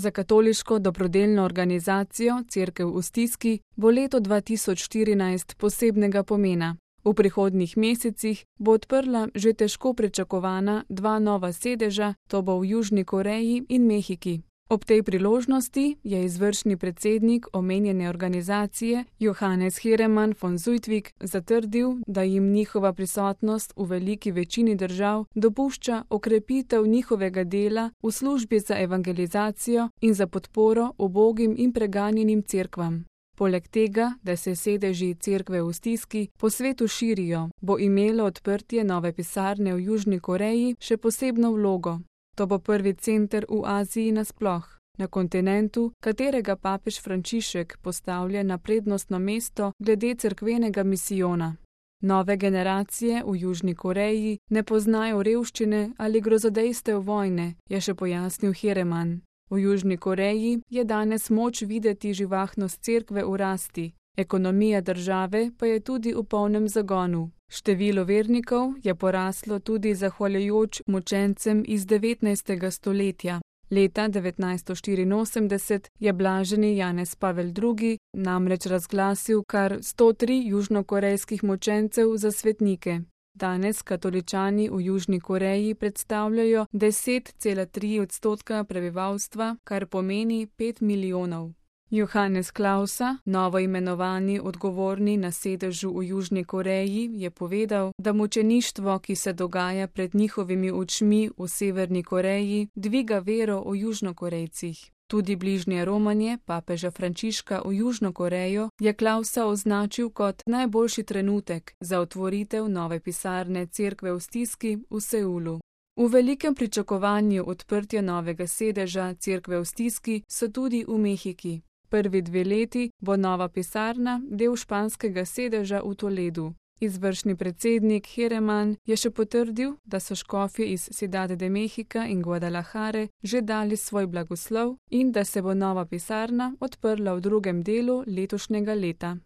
Za katoliško dobrodelno organizacijo Cerkev v stiski bo leto 2014 posebnega pomena. V prihodnjih mesecih bo odprla že težko pričakovana 2 nova sedeža, to bo v Južni Koreji in Mehiki. Ob tej priložnosti je izvršni predsednik omenjene organizacije Johannes Heeremann von Zuidtvik zatrdil, da jim njihova prisotnost v veliki večini držav dopušča okrepitev njihovega dela v službi za evangelizacijo in za podporo ubogim in preganjenim cerkvam. Poleg tega, da se sedeži Cerkve v stiski po svetu širijo, bo imelo odprtje nove pisarne v Južni Koreji še posebno vlogo. To bo prvi center v Aziji nasploh, na kontinentu, katerega papež Frančišek postavlja na prednostno mesto glede cerkvenega misijona. Nove generacije v Južni Koreji ne poznajo revščine ali grozodejstev vojne, je še pojasnil Heeremann. V Južni Koreji je danes moč videti živahnost cerkve v rasti, ekonomija države pa je tudi v polnem zagonu. Število vernikov je poraslo tudi zahvaljujoč mučencem iz 19. stoletja. Leta 1984 je blaženi Janez Pavel II. Namreč razglasil kar 103 južnokorejskih mučencev za svetnike. Danes katoličani v Južni Koreji predstavljajo 10,3% prebivalstva, kar pomeni 5 milijonov. Johannes Klausa, novo imenovani odgovorni na sedežu v Južni Koreji, je povedal, da mučeništvo, ki se dogaja pred njihovimi očmi v Severni Koreji, dviga vero o Južnokorejcih. Tudi bližnje romanje papeža Frančiška v Južno Korejo je Klausa označil kot najboljši trenutek za otvoritev nove pisarne Cerkve v stiski v Seulu. V velikem pričakovanju odprtja novega sedeža Cerkve v stiski so tudi v Mehiki. Prvi 2 leti bo nova pisarna del španskega sedeža v Toledu. Izvršni predsednik Heeremann je še potrdil, da so škofje iz Ciudad de México in Guadalajare že dali svoj blagoslov in da se bo nova pisarna odprla v drugem delu letošnjega leta.